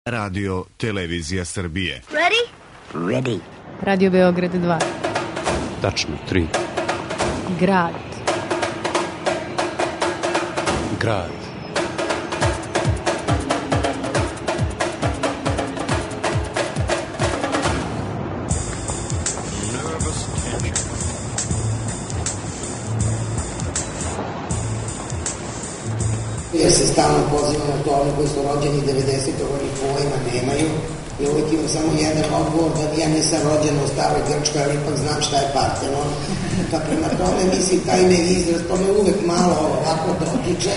Radio Televizija Srbije. Ready? Ready. Radio Beograd 2. Tačno 3. Grad. Grad. Ja se stalno pozivam na to, oni koji su rođeni 90. oni pojma nemaju i uvijek imam samo jedan odgovor da ja nisam rođen u staroj Grčkoj, ali ipak znam šta je Partenon. Pa prema tome, mislim, taj me izraz, to me uvijek malo ovako dotiče.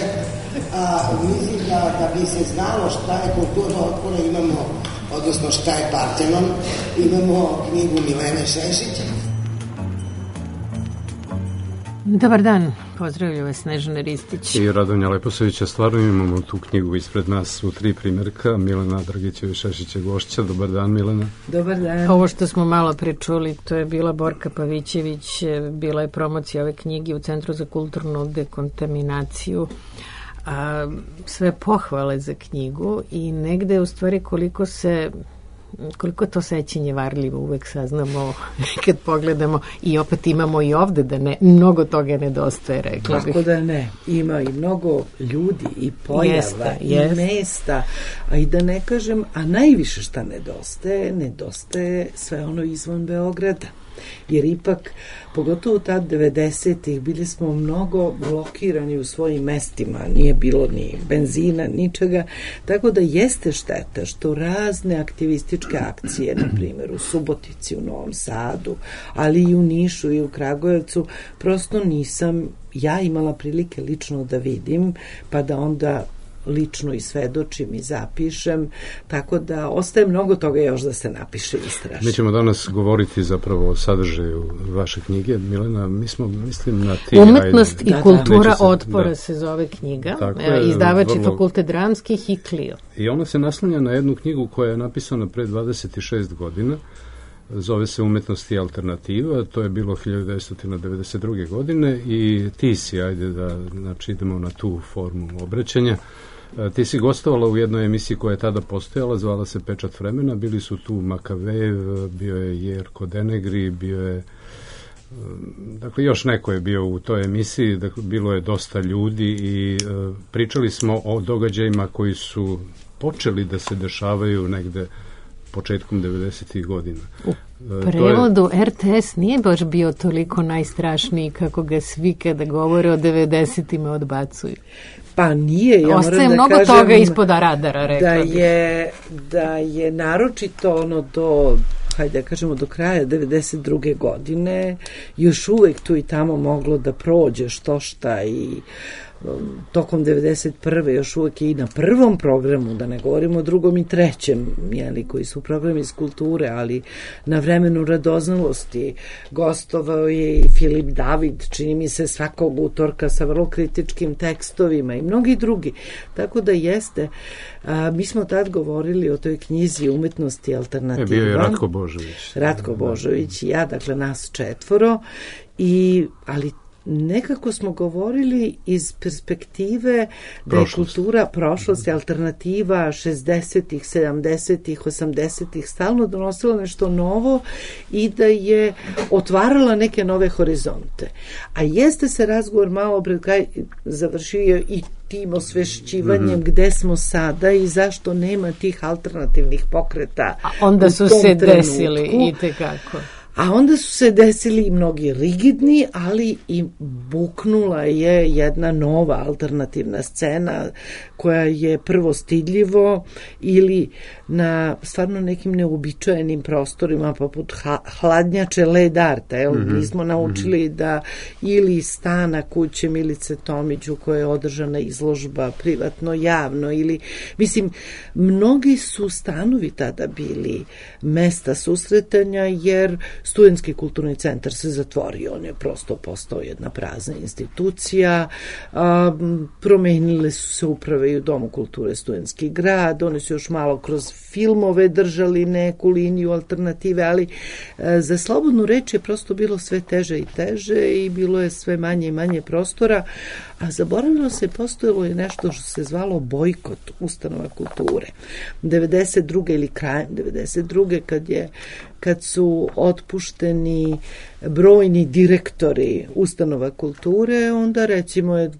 Mislim da bi se znalo šta je kultura otpora, imamo, odnosno šta je Partenon, imamo knjigu Milene Šešić. Dobar dan, pozdravljaju vas Snežana Ristić I Radonja Leposavića. Stvarno imamo tu knjigu ispred nas u 3 primjerka. Milena Dragićević Šešića gošća. Dobar dan, Milena. Dobar dan. Ovo što smo malo prečuli, to je bila Borka Pavićević, bila je promocija ove knjige u Centru za kulturnu dekontaminaciju. Sve pohvale za knjigu i negde u stvari koliko to sećenje varljivo uvek saznamo kad pogledamo i opet imamo i ovde da mnogo toga nedostaje, rekla bih. Kako da ne, ima i mnogo ljudi i pojava i mesta, a i da ne kažem, a najviše šta nedostaje sve ono izvan Beograda. Jer ipak, pogotovo tad 90-ih, bili smo mnogo blokirani u svojim mestima, nije bilo ni benzina, ničega, tako da jeste šteta što razne aktivističke akcije, na primjer u Subotici, u Novom Sadu, ali i u Nišu i u Kragujevcu, prosto nisam ja imala prilike lično da vidim, pa da onda lično i svedočim i zapišem, tako da ostaje mnogo toga još da se napiše i istraži. Mi ćemo danas govoriti zapravo o sadržaju vaše knjige. Milena, mislim na ti... Umetnost i kultura otpora se zove knjiga. Izdavač je Fakultet dramskih i Clio. I ona se naslanja na jednu knjigu koja je napisana pre 26 godina. Zove se Umetnost i alternativa. To je bilo 1992. godine i ti si, ajde da idemo na tu formu obraćanja. Ti si gostovala u jednoj emisiji koja je tada postojala, zvala se Pečat vremena, bili su tu Makavejev, bio je Jerko Denegri, bio je, dakle još neko je bio u toj emisiji, dakle bilo je dosta ljudi i pričali smo o događajima koji su počeli da se dešavaju negde početkom 90-ih godina. U prevodu RTS nije baš bio toliko najstrašniji kako ga svi kada govore o 90-ima odbacuju. Pa nije, ja ostaje moram da mnogo kažem toga ispod radara, rekla bih. Da je naročito ono hajde da kažemo do kraja 92. godine još uvek tu i tamo moglo da prođe što šta i tokom 91. još uvek i na prvom programu, da ne govorimo o drugom i trećem, koji su programi iz kulture, ali na Vremenu radoznalosti gostovao je i Filip David, čini mi se svakog utorka sa vrlo kritičkim tekstovima i mnogi drugi. Tako da jeste, mi smo tad govorili o toj knjizi Umetnosti i alternativa. Bio je Ratko Božović. Ratko Božović i ja, dakle nas 4, ali nekako smo govorili iz perspektive da je kultura prošlosti, alternativa 60-ih, 70-ih, 80-ih stalno donosila nešto novo i da je otvarala neke nove horizonte. A jeste se razgovor malo pred kraj završio i tim osvešćivanjem gde smo sada i zašto nema tih alternativnih pokreta. A onda su se desili i tekako. A onda su se desili i mnogi rigidni, ali i buknula je jedna nova alternativna scena koja je prvo stidljivo ili na stvarno nekim neuobičajenim prostorima poput hladnjače Led Arta. Mi smo naučili da ili stana kuće Milice Tomić u kojoj je održana izložba privatno, javno ili, mislim, mnogi su stanovi tada bili mesta susretanja jer Studentski kulturni centar se zatvorio, on je prosto postao jedna prazna institucija, promenile su se uprave i u Domu kulture Studentski grad, oni su još malo kroz filmove držali neku liniju alternative, ali za slobodnu reč je prosto bilo sve teže i teže i bilo je sve manje i manje prostora, a zaboravilo se, postojalo je nešto što se zvalo bojkot ustanova kulture. 92. ili krajem 92. kad su otpušteni brojni direktori ustanova kulture, onda recimo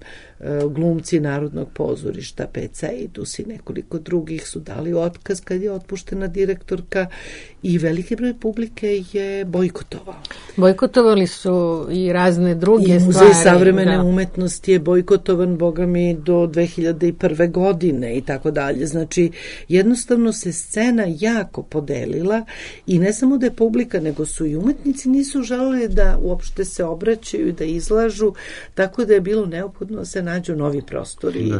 glumci Narodnog pozorišta, PC i Dusi, nekoliko drugih su dali otkaz kad je otpuštena direktorka i veliki broj publike je bojkotovao. Bojkotovali su i razne druge stvari. I Muzej savremene umetnosti je bojkotovan, boga mi, do 2001. godine i tako dalje. Znači, jednostavno se scena jako podelila i ne samo da je publika, nego su i umetnici nisu želeli da uopšte se obraćaju i da izlažu, tako da je bilo neophodno da se nađu novi prostori.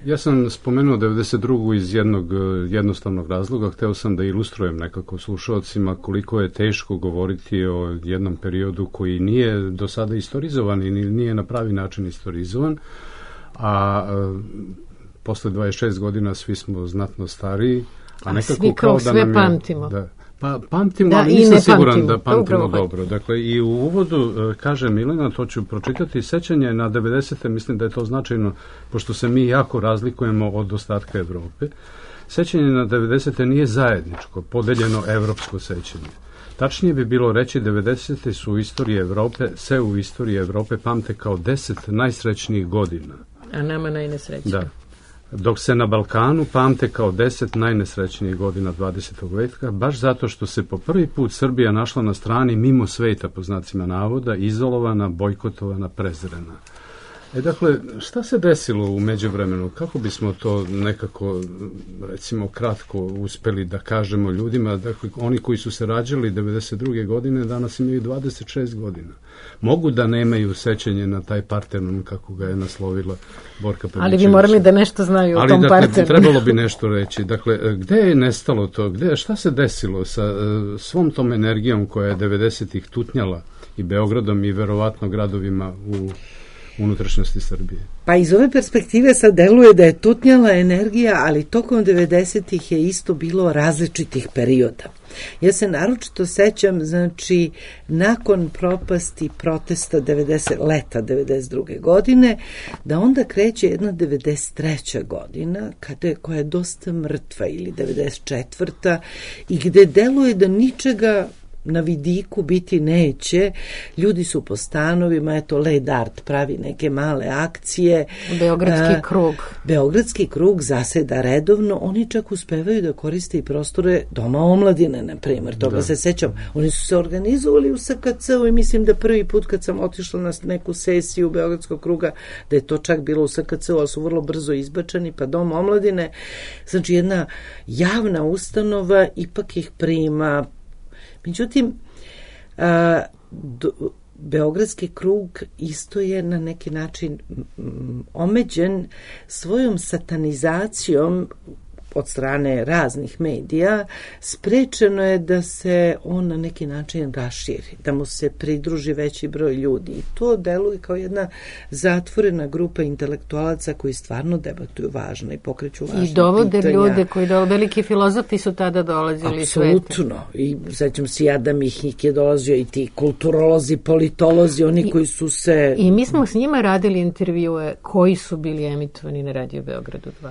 Ja sam spomenuo 92. iz jednog jednostavnog razloga. Hteo sam da ilustrujem nekako slušalcima koliko je teško govoriti o jednom periodu koji nije do sada istorizovan i nije na pravi način istorizovan, a posle 26 godina svi smo znatno stariji, a nekako svi kao sve nam je, pamtimo. Pa pamtimo, ali nisam siguran da pamtimo dobro. Dakle, i u uvodu kaže Milena, to ću pročitati, sećanje na 90. mislim da je to značajno, pošto se mi jako razlikujemo od ostatka Evrope. Sećanje na 90. nije zajedničko, podeljeno evropsko sećanje. Tačnije bi bilo reći 90. su u istoriji Evrope, se u istoriji Evrope pamte kao 10 najsrećnijih godina. A nama najnesrećnije. Da. Dok se na Balkanu pamte kao 10 najnesrećnijih godina 20. veka, baš zato što se po prvi put Srbija našla na strani mimo sveta, po znacima navoda, izolovana, bojkotovana, prezrena. Dakle, šta se desilo u međuvremenu? Kako bismo to nekako, recimo, kratko uspeli da kažemo ljudima? Dakle, oni koji su se rađali 92. godine, danas imaju 26 godina. Mogu da nemaju sećanje na taj Partenon, kako ga je naslovila Borka Pavićević. Ali vi morali da nešto znaju o tom Partenonu. Ali, trebalo bi nešto reći. Dakle, gde je nestalo to? Šta se desilo sa svom tom energijom koja je 90-ih tutnjala i Beogradom i verovatno gradovima u unutrašnjosti Srbije? Pa iz ove perspektive sad deluje da je tutnjala energija, ali tokom 90-ih je isto bilo različitih perioda. Ja se naročito sećam, znači, nakon propasti protesta leta 92. godine, da onda kreće jedna 93. godina, koja je dosta mrtva, ili 94. i gde deluje da ničega na vidiku biti neće, ljudi su po stanovima, eto Led Art pravi neke male akcije. Beogradski krug zaseda redovno, oni čak uspevaju da koriste i prostore Doma omladine, na primjer, toga se sećam. Oni su se organizovali u SKC-u i mislim da prvi put kad sam otišla na neku sesiju Beogradskog kruga, da je to čak bilo u SKC-u, ali su vrlo brzo izbačeni, pa Dom omladine, znači jedna javna ustanova ipak ih prima. Međutim, Beogradski krug isto je na neki način omeđen svojom satanizacijom od strane raznih medija, sprečeno je da se on na neki način raširi, da mu se pridruži veći broj ljudi. I to deluje kao jedna zatvorena grupa intelektualaca koji stvarno debatuju važno i pokreću važne pitanja. I dovode ljude koji veliki filozofi su tada dolazili iz sveta. Apsolutno. I sećam se i Adam Mihnik je dolazio i ti kulturolozi, politolozi, oni koji su se... I mi smo s njima radili intervjue koji su bili emitovani na Radio Beogradu 2.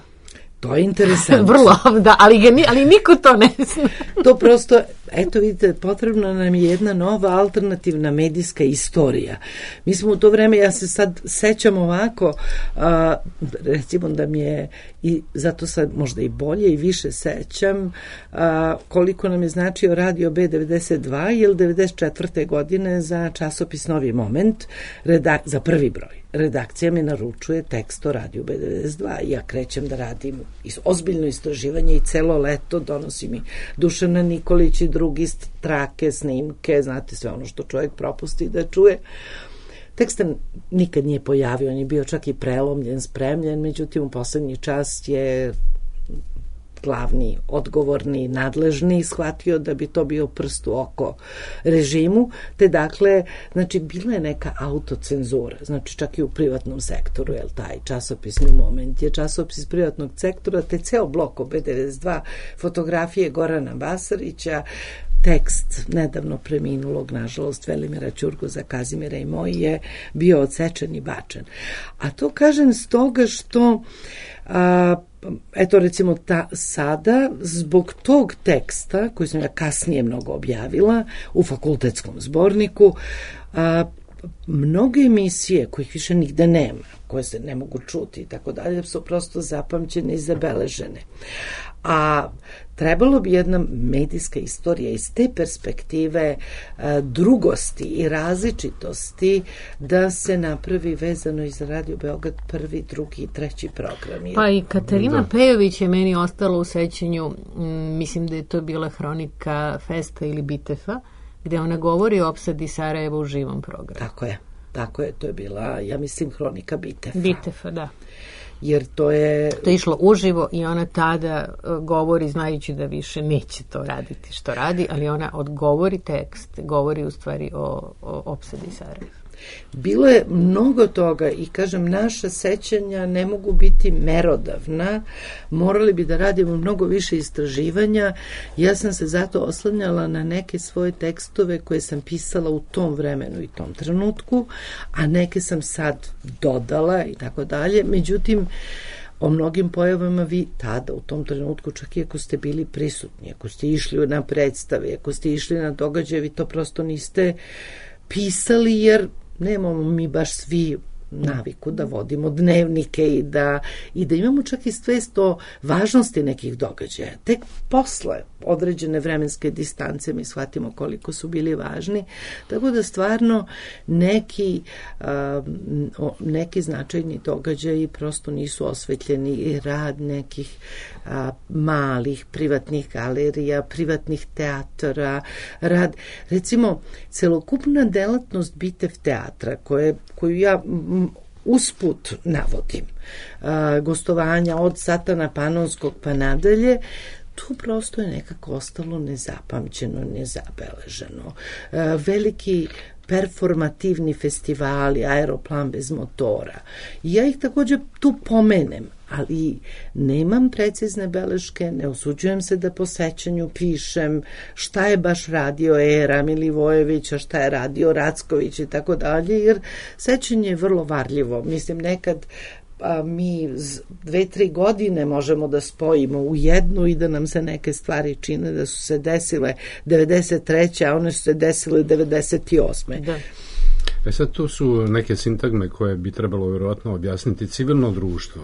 To je interesantno. Vrlo, da, ali niko to ne zna. To prosto, eto vidite, potrebna nam je jedna nova alternativna medijska istorija. Mi smo u to vreme, ja se sad sećam ovako, recimo da mi je, i zato sad možda i bolje i više sećam, koliko nam je značio Radio B92, ili 94. godine za časopis Novi moment, za prvi broj. Redakcija mi naručuje tekst o Radio B92. Ja krećem da radim ozbiljno istraživanje i celo leto donosi mi Dušana Nikolić i drugi trake, snimke, znate sve ono što čovjek propusti da čuje. Tekst nikad nije pojavio, on je bio čak i prelomljen, spremljen, međutim u poslednji čas je glavni, odgovorni, nadležni shvatio da bi to bio prst u oko režimu, te dakle, znači, bila je neka autocenzura, znači čak i u privatnom sektoru, jel taj časopisni Moment je časopis privatnog sektora, te ceo blok OB92, fotografije Gorana Basarića, tekst nedavno preminulog, nažalost, Velimira Ćurguza, Kazimira i moj je bio odsečen i bačen. A to kažem stoga što eto recimo sada zbog tog teksta koji sam ja kasnije mnogo objavila u fakultetskom zborniku, mnoge emisije kojih više nigde nema, koje se ne mogu čuti i tako dalje, su prosto zapamćene i zabeležene. A trebalo bi jedna medijska istorija iz te perspektive drugosti i različitosti da se napravi vezano i za Radio Beograd prvi, drugi i treći program. Pa i Katarina Pejović je meni ostala u sećanju, mislim da je to bila hronika Festa ili Bitefa, gde ona govori o opsadi Sarajeva u živom programu. Tako je, to je bila, ja mislim, hronika Bitefa. Bitefa, da. Jer to je išlo uživo i ona tada govori, znajući da više neće to raditi što radi, ali ona odgovori tekst, govori u stvari o opsadi Sarajeva. Bilo je mnogo toga i kažem, naša sećanja ne mogu biti merodavna, morali bi da radimo mnogo više istraživanja. Ja sam se zato oslanjala na neke svoje tekstove koje sam pisala u tom vremenu i tom trenutku, a neke sam sad dodala i tako dalje. Međutim, o mnogim pojavama vi tada, u tom trenutku, čak i ako ste bili prisutni, ako ste išli na predstave, ako ste išli na događaje, vi to prosto niste pisali, jer nemamo mi baš svi naviku da vodimo dnevnike i da imamo čak i svest o važnosti nekih događaja. Tek posle određene vremenske distance mi shvatimo koliko su bili važni, tako da stvarno neki značajni događaji prosto nisu osvetljeni i rad nekih malih privatnih galerija, privatnih teatara, rad, recimo, celokupna delatnost Bitev teatra, koju ja usput navodim, gostovanja od Satana Panonskog pa nadalje, tu prosto je nekako ostalo nezapamćeno, nezabeleženo. Veliki performativni festivali, Aeroplan bez motora. I ja ih također tu pomenem, ali nemam precizne beleške, ne usuđujem se da po sećanju pišem šta je baš radio Era Milivojević, a šta je radio Racković i tako dalje, jer sećanje je vrlo varljivo. Mislim, nekad mi 2-3 godine možemo da spojimo u jednu i da nam se neke stvari čine da su se desile 93. a one su se desile 98. Da. Sad tu su neke sintagme koje bi trebalo vjerovatno objasniti. Civilno društvo.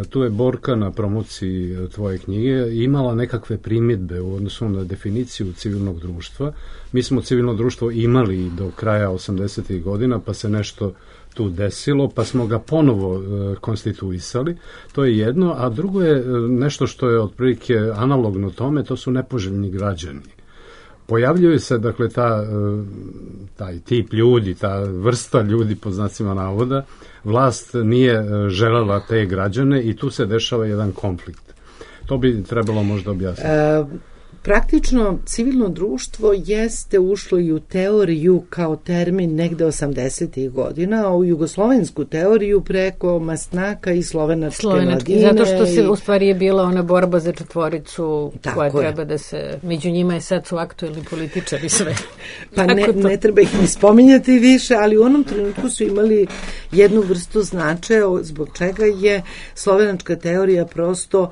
Tu je Borka na promociji tvoje knjige imala nekakve primjedbe u odnosu na definiciju civilnog društva. Mi smo civilno društvo imali do kraja 80. godina, pa se nešto tu desilo, pa smo ga ponovo konstituisali. To je jedno, a drugo je nešto što je otprilike analogno tome, to su nepoželjni građani. Pojavljuje se, dakle, taj tip ljudi, ta vrsta ljudi, po znacima navoda, vlast nije želela te građane i tu se dešava jedan konflikt. To bi trebalo možda objasniti. Praktično, civilno društvo jeste ušlo i u teoriju kao termin negde 80. godina, a u jugoslovensku teoriju preko Mastnaka i slovenačke mladine. Zato što se u stvari je bila ona borba za četvoricu koja treba da se, među njima je sad su aktuelni političari sve. Pa ne treba ih ni spominjati više, ali u onom trenutku su imali jednu vrstu značaja zbog čega je slovenačka teorija prosto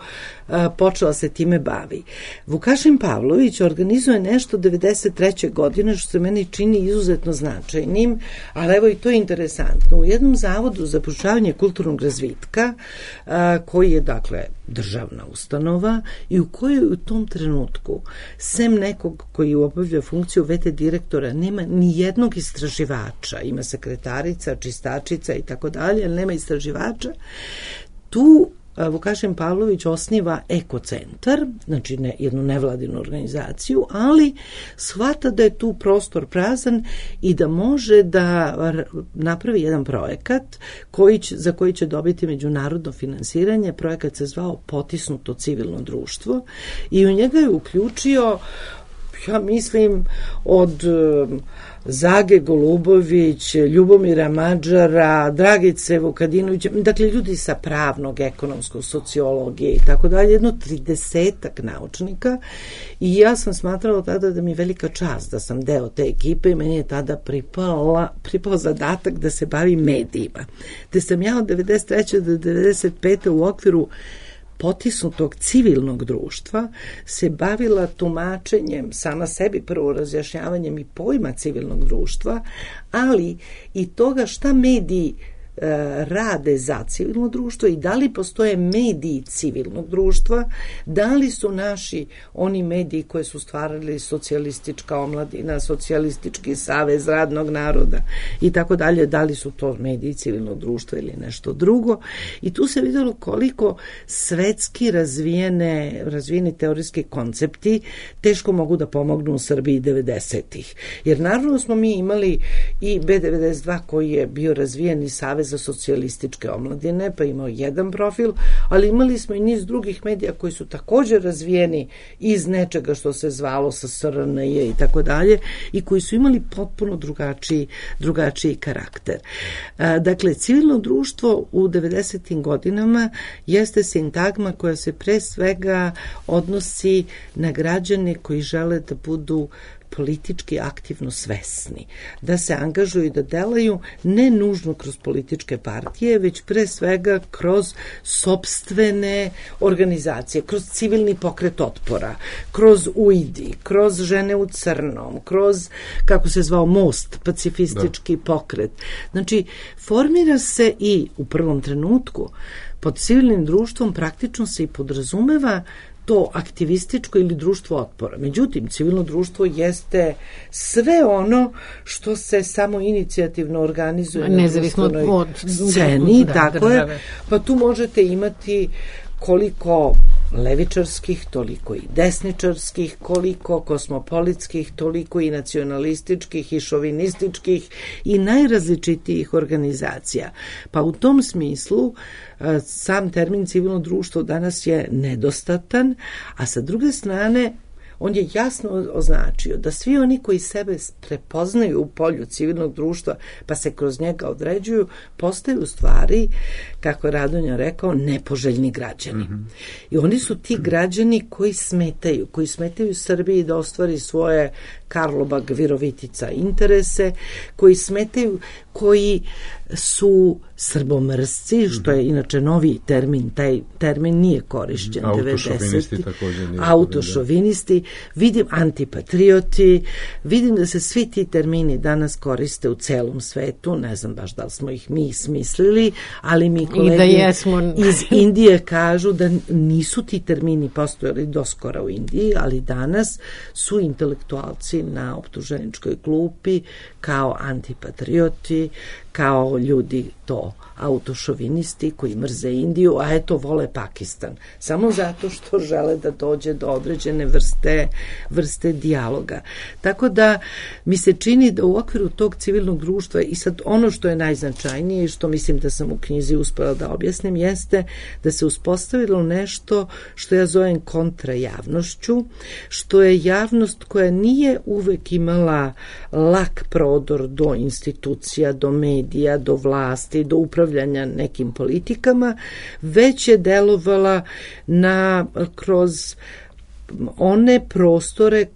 počela se time bavi. Vukašin Pavlović organizuje nešto 93. godine što se meni čini izuzetno značajnim, ali evo i to je interesantno. U jednom zavodu za proučavanje kulturnog razvitka, koji je dakle državna ustanova i u kojoj u tom trenutku, sem nekog koji obavlja funkciju VT direktora, nema ni jednog istraživača, ima sekretarica, čistačica i tako dalje, ali nema istraživača, tu Vukašin Pavlović osniva ekocentar, znači jednu nevladinu organizaciju, ali shvata da je tu prostor prazan i da može da napravi jedan projekat za koji će dobiti međunarodno finansiranje. Projekat se zvao Potisnuto civilno društvo i u njega je uključio, ja mislim, od Zage Golubović, Ljubomira Mađara, Dragice Vukadinovića, dakle ljudi sa pravnog, ekonomskog, sociologije i tako dalje, jedno 30-ak naučnika, i ja sam smatrala tada da mi je velika čast da sam deo te ekipe i meni je tada pripao zadatak da se bavim medijima. Te sam ja od 93. do 95. u okviru Potisnutog civilnog društva se bavila tumačenjem, sama sebi prvo razjašnjavanjem i pojma civilnog društva, ali i toga šta mediji rade za civilno društvo i da li postoje mediji civilnog društva, da li su naši oni mediji koje su stvarali socijalistička omladina, socijalistički savez radnog naroda i tako dalje, da li su to mediji civilnog društva ili nešto drugo. I tu se vidjelo koliko svetski razvijeni teorijski koncepti teško mogu da pomognu u Srbiji 90-ih. Jer naravno smo mi imali i B92 koji je bio razvijeni savez za socijalističke omladine, pa imao jedan profil, ali imali smo i niz drugih medija koji su također razvijeni iz nečega što se zvalo SSRN-je i tako dalje i koji su imali potpuno drugačiji karakter. Dakle, civilno društvo u 90. godinama jeste sintagma koja se pre svega odnosi na građane koji žele da budu politički aktivno svesni, da se angažuju i da delaju ne nužno kroz političke partije, već pre svega kroz sopstvene organizacije, kroz civilni pokret otpora, kroz UIDI, kroz Žene u crnom, kroz, kako se zvao, Most, pacifistički pokret. Znači, formira se i u prvom trenutku pod civilnim društvom praktično se i podrazumeva to aktivističko ili društvo otpora. Međutim, civilno društvo jeste sve ono što se samo inicijativno organizuje na društvenoj sceni, tako je. Pa tu možete imati koliko levičarskih, toliko i desničarskih, koliko kosmopolitskih, toliko i nacionalističkih i šovinističkih i najrazličitijih organizacija. Pa u tom smislu sam termin civilno društvo danas je nedostatan, a sa druge strane on je jasno označio da svi oni koji sebe prepoznaju u polju civilnog društva pa se kroz njega određuju, postaju u stvari, kako je Radonja rekao, nepoželjni građani. I oni su ti građani koji smetaju Srbiji da ostvari svoje Karlobag, Virovitica interese, koji smetaju, koji su srbomrsci, što je inače novi termin, taj termin nije korišćen. Autošovinisti također nije. Autošovinisti, vidim antipatrioti, vidim da se svi ti termini danas koriste u celom svetu, ne znam baš da li smo ih mi smislili, ali mi kolegi iz Indije kažu da nisu ti termini postojali doskora u Indiji, ali danas su intelektualci na optuženičkoj klupi kao antipatrioti, kao ljudi to autošovinisti koji mrze Indiju, a eto vole Pakistan. Samo zato što žele da dođe do određene vrste dijaloga. Tako da mi se čini da u okviru tog civilnog društva i sad ono što je najznačajnije i što mislim da sam u knjizi uspela da objasnim jeste da se uspostavilo nešto što ja zovem kontrajavnošću, što je javnost koja nije uvek imala lak prodor do institucija, do medija, do vlasti, do upravljanja nekim politikama, već je delovala kroz one prostore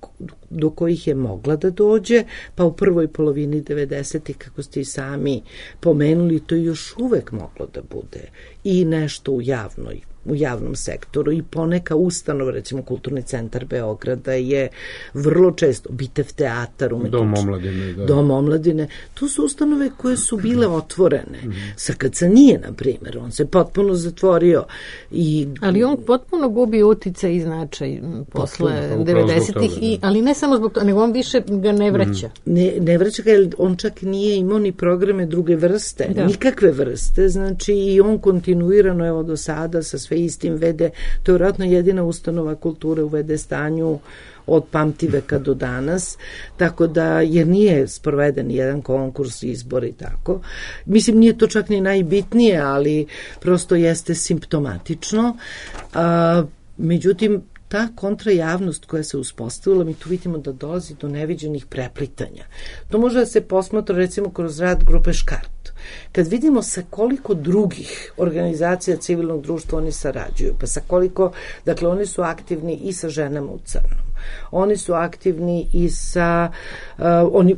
do kojih je mogla da dođe, pa u prvoj polovini 90-ih, kako ste i sami pomenuli, to je još uvek moglo da bude i nešto u javnom sektoru i poneka ustanova, recimo Kulturni centar Beograda je vrlo često, Bitev teatar, Dom omladine, to su ustanove koje su bile otvorene. SKC nije, na primjer, on se potpuno zatvorio. Ali on potpuno gubi uticaj i značaj posle 90-ih, ali ne samo zbog toga, nego on više ga ne vraća. Ne vraća ga, jer on čak nije imao ni programe druge vrste, nikakve vrste, znači i on kontinuirano, evo do sada, sa sve istim vede, to je vjerojatno jedina ustanova kulture u VD stanju od pamtiveka do danas, tako da, jer nije sproveden jedan konkurs, izbor i tako. Mislim, nije to čak ni najbitnije, ali prosto jeste simptomatično. Međutim, ta kontrajavnost koja se uspostavila, mi tu vidimo da dolazi do neviđenih preplitanja. To može da se posmatra recimo kroz rad grupe Škart. Kad vidimo sa koliko drugih organizacija civilnog društva oni sarađuju, pa sa koliko, dakle oni su aktivni i sa ženama u crnom. Oni su aktivni i sa, oni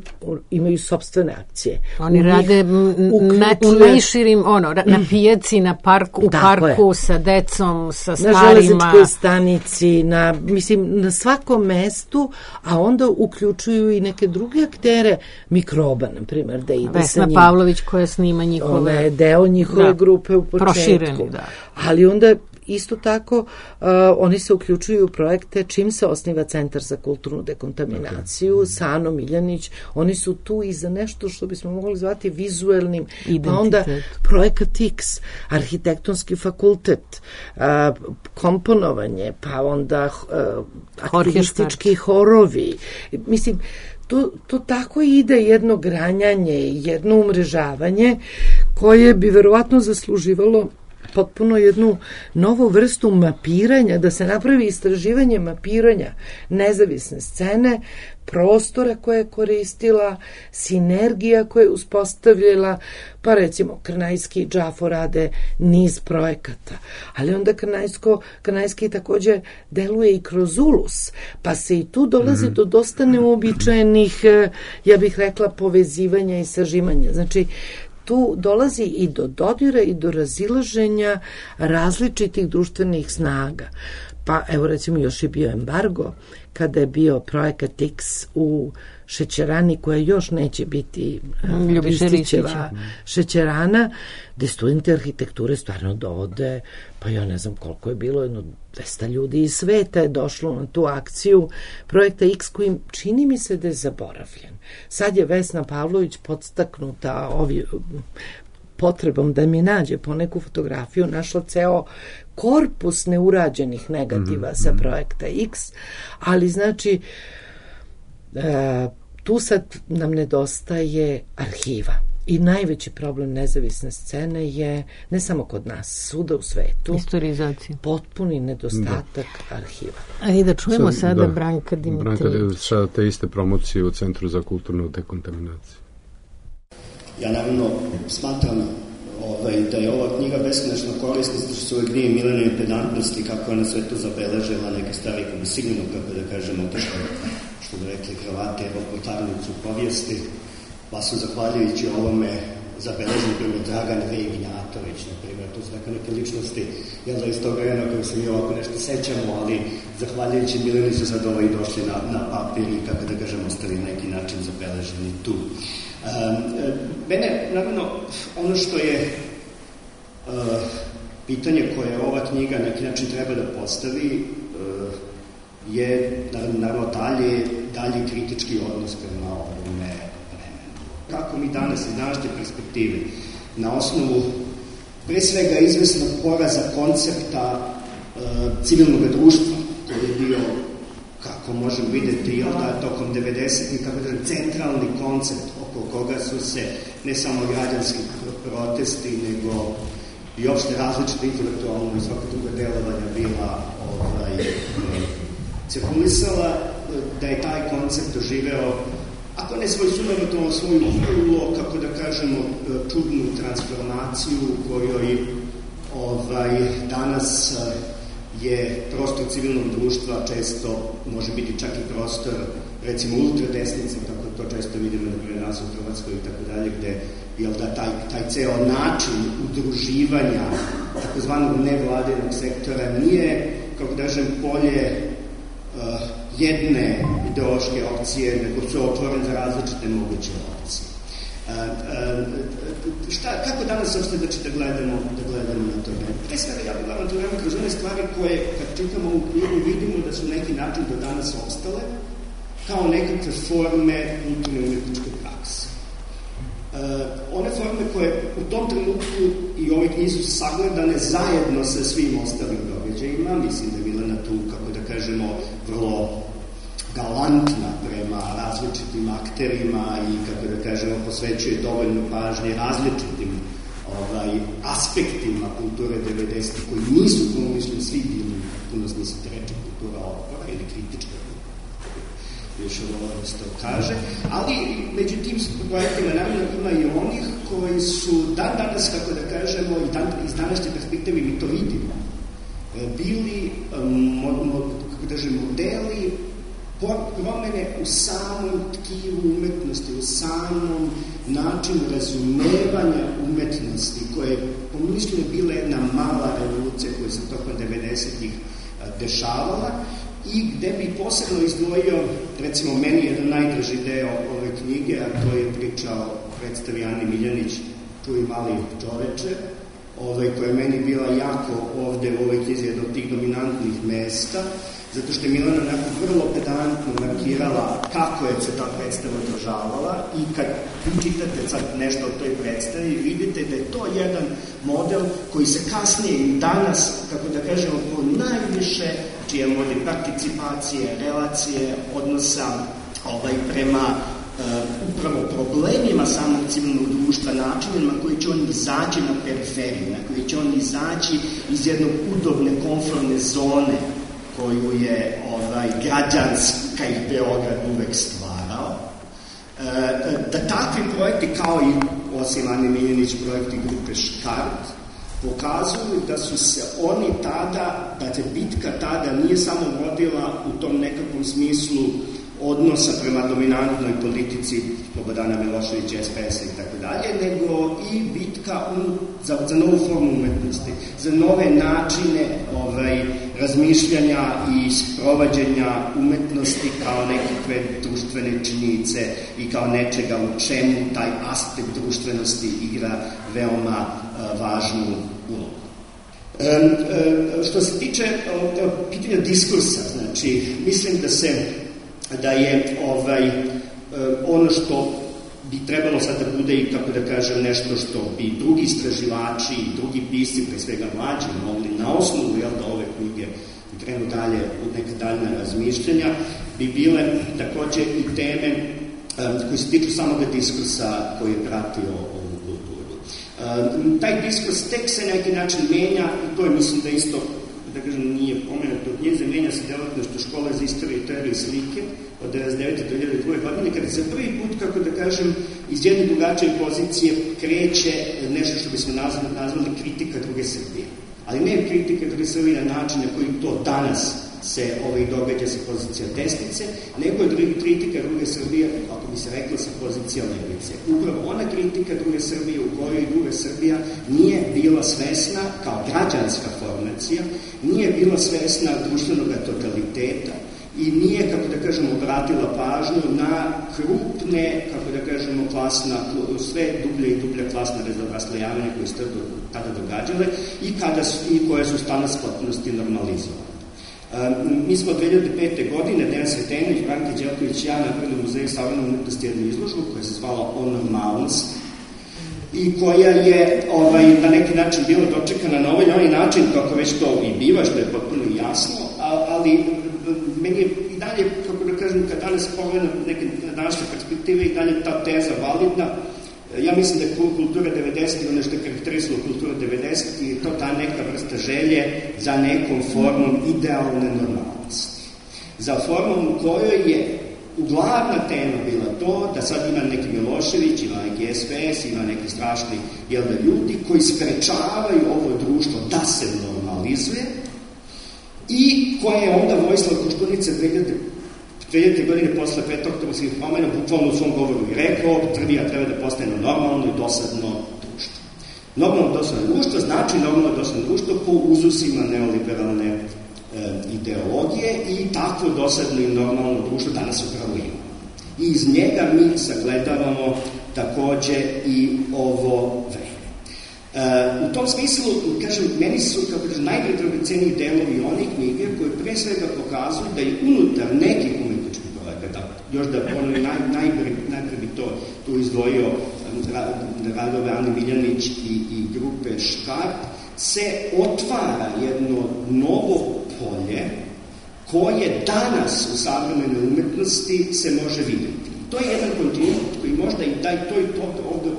imaju sopstvene akcije. Oni rade u najširim, na pijaci, na parku, u parku, sa decom, sa starima. Na železničkoj stanici, na svakom mestu, a onda uključuju i neke druge aktere, Mikroba, na primjer, da ide sa njim. Vesna Pavlović koja snima njihove... Ona je deo njihove grupe u početku. Prošireni, da. Ali onda isto tako, oni se uključuju u projekte čim se osniva Centar za kulturnu dekontaminaciju, Sano Miljanić, oni su tu i za nešto što bismo mogli zvati vizuelnim, pa onda projekat X, arhitektonski fakultet, komponovanje, pa onda aktivistički horovi. Mislim, to tako ide jedno granjanje, jedno umrežavanje koje bi verovatno zasluživalo potpuno jednu novu vrstu mapiranja, da se napravi istraživanje mapiranja nezavisne scene, prostora koje je koristila, sinergija koje je uspostavljala, pa recimo Krnajski i Džafo rade niz projekata, ali onda Krnajski takođe deluje i kroz Ulus, pa se i tu dolazi do dosta neuobičajenih, ja bih rekla, povezivanja i sažimanja. Znači, tu dolazi i do dodira i do razilaženja različitih društvenih snaga. Pa evo recimo još je bio embargo kada je bio projekat X u šećerani koja još neće biti Ristićeva šećerana, gde studenti arhitekture stvarno dovode, pa ja ne znam koliko je bilo, 200 ljudi iz sveta je došlo na tu akciju projekta X koji čini mi se da je zaboravljen. Sad je Vesna Pavlović podstaknuta potrebom da mi nađe po neku fotografiju, našla ceo korpus neurađenih negativa sa projekta X, ali znači tu sad nam nedostaje arhiva. I najveći problem nezavisne scene je, ne samo kod nas, svuda u svetu, historizacija. Potpuni nedostatak arhiva. A i da čujemo sada Branka Dimitrijević. Branka, sada te iste promocije u Centru za kulturnu dekontaminaciju. Ja naravno smatram da je ova knjiga beskonačno korisna, što su uvek dvije milenije pedantnosti, kako je ona sve to zabeležila, neke stvari koje bi sigurno, kako da kažemo, otišle, što bi rekli Hrvate, po tarnicu povijesti, pa su zahvaljujući ovome zabeležili primjer Dragan Ignjatović, na primjer, to su neke ličnosti, jel da iz tog vremena koje se mi ovako nešto sećamo, ali zahvaljujući Mileni su sad i došli na papir i, kako da kažemo, ostali na neki način zabeleženi tu. Mene, naravno, ono što je pitanje koje ova knjiga na neki način treba da postavi je, naravno, dalji kritički odnos prema ovome vremenu. Kako mi danas iz današnje perspektive, na osnovu pre svega izvesnog poraza koncepta civilnog društva, koji je bio, kako možemo videti, tokom 90-ih, kako da centralni koncept oko koga su se ne samo građanski protesti, nego i opšte različite intelektualno i svaka druga delovanja bila cirkulisala, da je taj koncept doživeo, ako ne svoj sumanutom, svoju vrlo, kako da kažemo, čudnu transformaciju u kojoj danas je prostor civilnog društva često može biti čak i prostor, recimo, ultradesnice, kako to često vidimo na nas u Hrvatskoj i tako dalje, gde taj ceo način udruživanja takozvanog nevladinog sektora nije, kako da kažem, polje jedne ideološke opcije, nego su otvoren za različite moguće opcije. Kako danas uopšte da gledamo na to vreme? Pre svega, ja gledam to vreme kroz one stvari koje, kad čitamo ovu knjigu, vidimo da su neki način do danas ostale, kao nekakve forme kulturne umetničke prakse. One forme koje u tom trenutku i ove knjize su sagledane zajedno sa svim ostalim događajima, mislim da je Milena tu, kako da kažemo, vrlo galantna prema različitim akterima i, kako da kažemo, posvećuje dovoljno pažnje različitim aspektima kulture 90. koji nisu, como mislim, svi bili puno smisli reči kultura otpora ili kritička više ovo što kaže, ali među tim projektima naravno ima i onih koji su danas, kako da kažemo, iz današnje perspektive mi to vidimo, bili kako da kažem, modeli promene u samom tkivu umetnosti, u samom načinu razumevanja umetnosti, koje je po mišljenju bila jedna mala revolucija koja se tokom 90-ih dešavala i gde bi posebno izdvojio, recimo meni jedan najdraži deo ove knjige, a to je priča o predstavi Ani Miljanić, Tu i mali čoveče, koja je meni bila jako ovde u ovoj knjizi jedna od tih dominantnih mesta, zato što je Milena onako vrlo pedantno markirala kako je se ta predstava održavala i kad čitate sad nešto o toj predstavi, vidite da je to jedan model koji se kasnije i danas, kako da kažemo, po najviše čije vodi participacije, relacije, odnosa prema upravo problemima samog civilnog društva, načinima koji će on izaći na periferiju, na koji će on izaći iz jednog udobne, konformne zone koju je građanska i Beograd uvek stvarao. Da takvi projekti, kao i osim Ane Miljanić projekti grupe Škart, pokazuju da su se oni tada, da se bitka tada nije samo vodila u tom nekakvom smislu odnosa prema dominantnoj politici Slobodana Miloševića, SPS-a i tako dalje, nego i bitka za novu formu umetnosti, za nove načine razmišljanja i sprovađenja umetnosti kao nekakve društvene činjenice i kao nečega u čemu taj aspekt društvenosti igra veoma važnu ulogu. Što se tiče pitanja diskursa, znači, mislim da je ono što bi trebalo sad da bude i, kako da kažem, nešto što bi drugi istraživači i drugi pisci, pre svega mlađi, mogli na osnovu da ove knjige krenu dalje u neka daljna razmišljanja, bi bile takođe i teme koje se tiču samog diskursa koji je pratio ovu kulturu. Taj diskurs tek se na neki način menja i to je, mislim, da isto, da kažem, nije pomenuto od njeze, menja se delatnošću Škole za istoriju i teoriju slike od 19. do 2002. godine, kada se prvi put, kako da kažem, iz jedne drugačije pozicije kreće nešto što bismo nazvali kritika druge Srbije. Ali ne kritika druge Srbije na način na koji to danas se događa sa pozicija desnice, nego je kritika druge Srbije, ako bi se rekla, sa pozicija levice. Upravo ona kritika druge Srbije u kojoj druga Srbija nije bila svesna, kao građanska formacija, nije bila svesna društvenog totaliteta i nije, kako da kažemo, obratila pažnju na krupne, kako da kažemo, sve dublje i dublje klasne raslojavanja koje su tada događale i koje su danas potpunosti normalizovane. Mi smo 2005. godine, Dejan Sretenović, Branka Đelković i ja napravili u Muzeju savremene umetnosti jednu izložbu koja se zvala O normalnosti i koja je na neki način bila dočekana na ovaj način, kako već to i biva, što je potpuno jasno, ali meni je i dalje, kako da kažem, kad danas pogledam neke današnje perspektive, i dalje ta teza validna. Ja mislim da je kultura 90. ono što je karakterisalo kultura 90. je to ta neka vrsta želje za nekom formom idealne normalnosti. Za formom u kojoj je glavna tema bila to da sad ima neki Milošević, ima neki SPS, ima neki strašni ljudi koji sprečavaju ovo društvo da se normalizuje i koje je onda Vojislav Koštunica 2000. godine posle 5. oktobarskih promena bukvalno u svom govoru i rekao, Srbija treba da postane normalno i dosadno društvo. Normalno dosadno društvo znači normalno dosadno društvo po uzusima neoliberalne ideologije i takvo dosadno i normalno društvo danas upravo ima. I iz njega mi sagledavamo takođe i ovo vreme. U tom smislu, kažem, meni su, kako kažem, najdragoceniji delovi onih knjige koje pre svega pokazuju da je unutar nekih umetničkih projekata, Još da ponovim, najpre bi tu izdvojio radove Ane Miljanić i grupe Škart, se otvara jedno novo polje koje danas u savremenoj umetnosti se može vidjeti. To je jedan kontinuitet koji možda i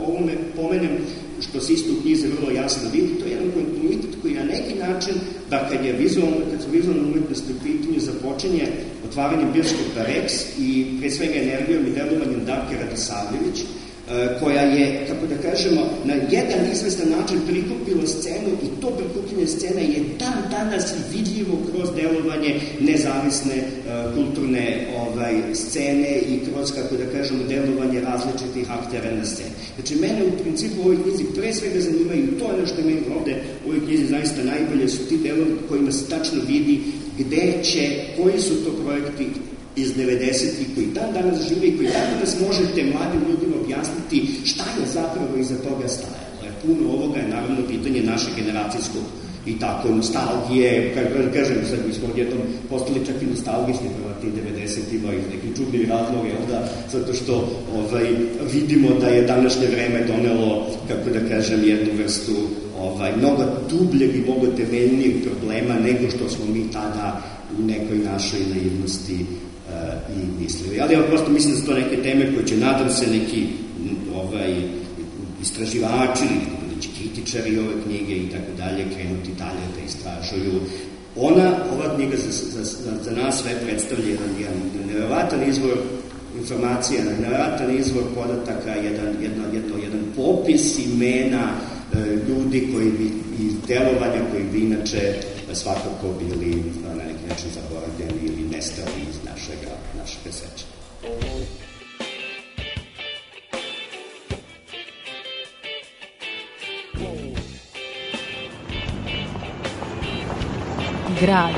ovome pomenem, što se isto u knjizi vrlo jasno vidi, to je jedan kontinuitet koji na neki način, da kad su vizualne umetnosti u pitanju, započinje otvaranjem bioskopa Rex i pre svega energijom i delovanjem Darke Radisavljević, koja je, kako da kažemo, na jedan izvestan način prikupila scenu i to prikupljanje scena je dan danas vidljivo kroz delovanje nezavisne kulturne scene i kroz, kako da kažemo, delovanje različitih aktera na sceni. Znači, mene u principu u ovoj knjizi pre svega zanimaju, to je ono što je meni ovde u ovoj knjizi zaista najbolje, su ti delovi kojima se tačno vidi koji su to projekti iz 90-ih koji dan danas žive i koji dan danas možete mladim ljudima objasniti šta je zapravo iza toga stajalo. Jer puno ovoga je naravno pitanje naše generacijskog i tako nostalgije, kažem, sad mi smo odjednom postali čak i nostalgični prema tim 90-ima iz nekih čudnih razloga, zato što vidimo da je današnje vreme donelo, kako da kažem, jednu vrstu mnogo dubljeg i mnogo temeljnijeg problema nego što smo mi tada u nekoj našoj naivnosti i mislili. Ali ja prosto mislim da su to neke teme koje će, nadam se, neki istraživači ili kritičari ove knjige i tako dalje krenuti dalje da istražuju. Ova knjiga za nas sve predstavlja jedan nevjerojatan izvor informacija, nevjerojatan izvor podataka, jedan popis imena ljudi koji bi iz delovanja koji bi inače svakako bili na neki način zaboravljeni ili nestali iz našeg sećanja. Grad.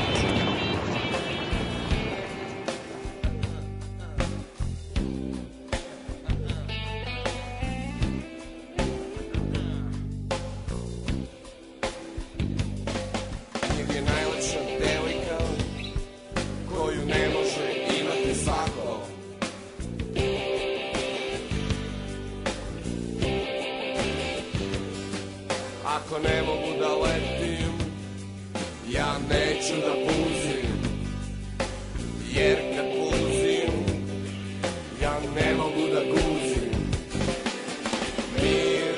Ako ne mogu da letim, ja neću da puzim, jer kad puzim, ja ne mogu da guzim. Mir,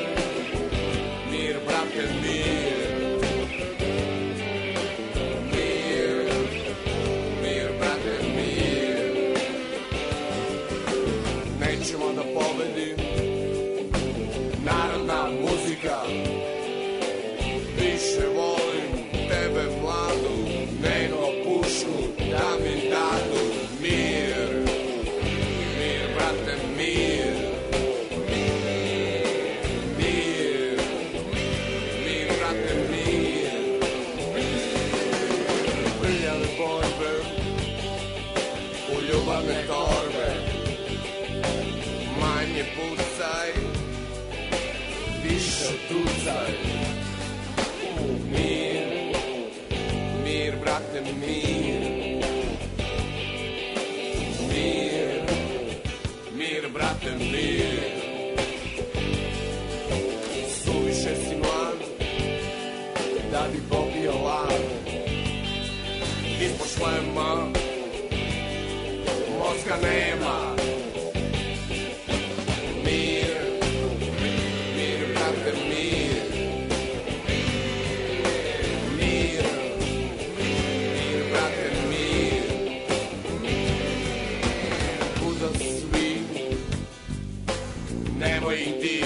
mir, brate, mir. Mir, mir, brate, mir. Nećemo da pobedim, narodna muzika. Više volim tebe mladu nego pušku da mi dadu. Mir, mir, brate, mir. Mir, mir, brate, mir. Prljave borbe u ljubavne torbe, manje pucaj, više tucaj. Mir, mir, brate, mir. Mir, mir, brate, mir. Suviše si mlad da bi popio lad. Ispod šlema mozga nema. Mir, mir, brate, mir. Nemoj ih ti,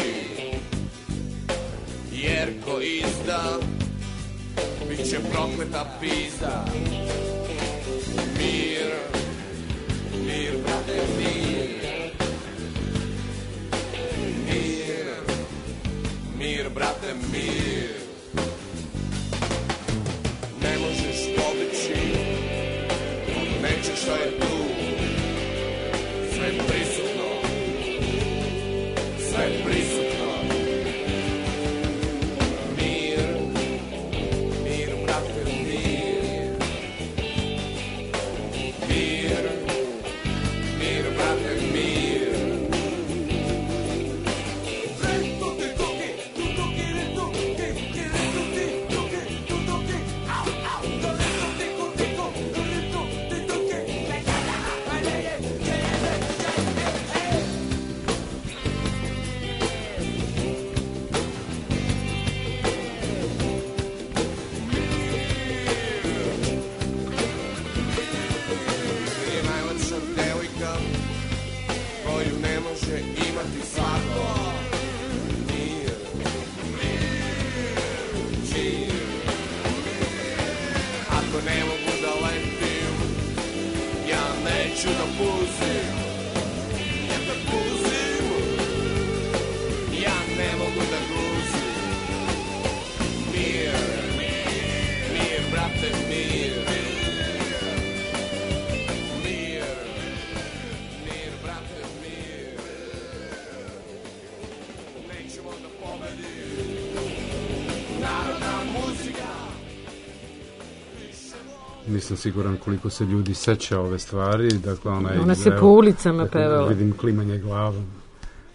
jer ko izda, bit će prokleta pizda. Mir, mir, brate, mir. Mir, mir, brate, mir. Ne možeš pobeći od nečeg što je tu, sve prisutno. Sve prisutno. Mir, mir, brate, mir. neću da puzim, jer da puzim, ja ne mogu da gruzim. Mir, mir, brate, mir. Mir, mir, brate, mir. Nećemo da pobedimo. Narodna muzika. Nisam siguran koliko se ljudi seća ove stvari. Dakle, ona se po ulicama pevala. Vidim klimanje glavom.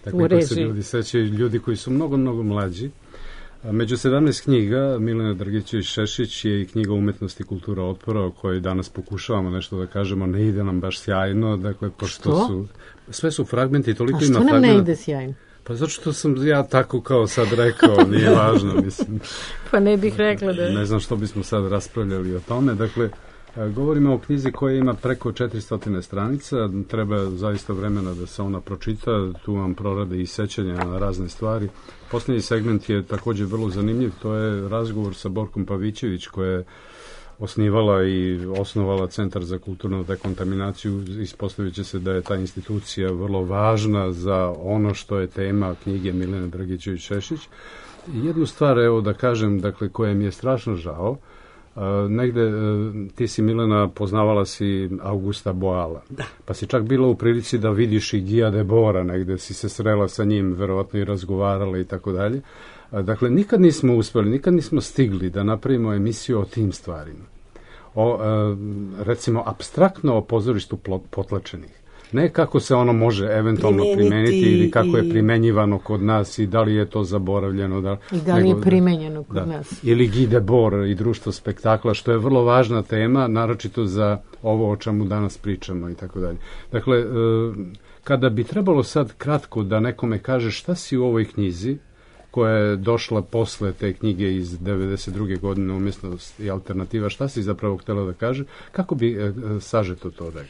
Dakle, koji se ljudi sećaju, ljudi koji su mnogo, mnogo mlađi. Među 17 knjiga Milena Drgićević-Šešić je i knjiga Umetnost i kultura otpora, o kojoj danas pokušavamo nešto da kažemo, ne ide nam baš sjajno. Dakle, pošto su, sve su fragmenti, toliko ima fragmenta. A što nam ne ide sjajno? Pa zato što sam ja tako kao sad rekao, nije važno, mislim. Pa ne bih rekla da... Ne znam što bismo sad raspravljali o tome. Dakle, govorimo o knjizi koja ima preko 400 stranica, treba zaista vremena da se ona pročita, tu vam prorade i sećanja na razne stvari. Poslednji segment je takođe vrlo zanimljiv, to je razgovor sa Borkom Pavićević, koja je osnivala i osnovala Centar za kulturnu dekontaminaciju. Ispostavit će se da je ta institucija vrlo važna za ono što je tema knjige Milene Drgićević-Šešić. Jednu stvar, evo da kažem, dakle, koja mi je strašno žao, negde ti si, Milena, poznavala si Augusta Boala. Da. Pa si čak bila u prilici da vidiš i Guya Debora, negde si se srela sa njim, verovatno i razgovarala i tako dalje. Dakle, nikad nismo uspeli, nikad nismo stigli da napravimo emisiju o tim stvarima. Recimo, apstraktno o pozorištu potlačenih. Ne kako se ono može eventualno primeniti ili kako je primenjivano kod nas i da li je to zaboravljeno. I da li je primenjeno kod nas. Ili Guy Debord i društvo spektakla, što je vrlo važna tema, naročito za ovo o čemu danas pričamo i tako dalje. Dakle, kada bi trebalo sad kratko da nekome kaže šta si u ovoj knjizi, koja je došla posle te knjige iz 92. godine, Umjetnost i alternativa, šta si zapravo htjela da kaže, kako bi sažeto to rekao?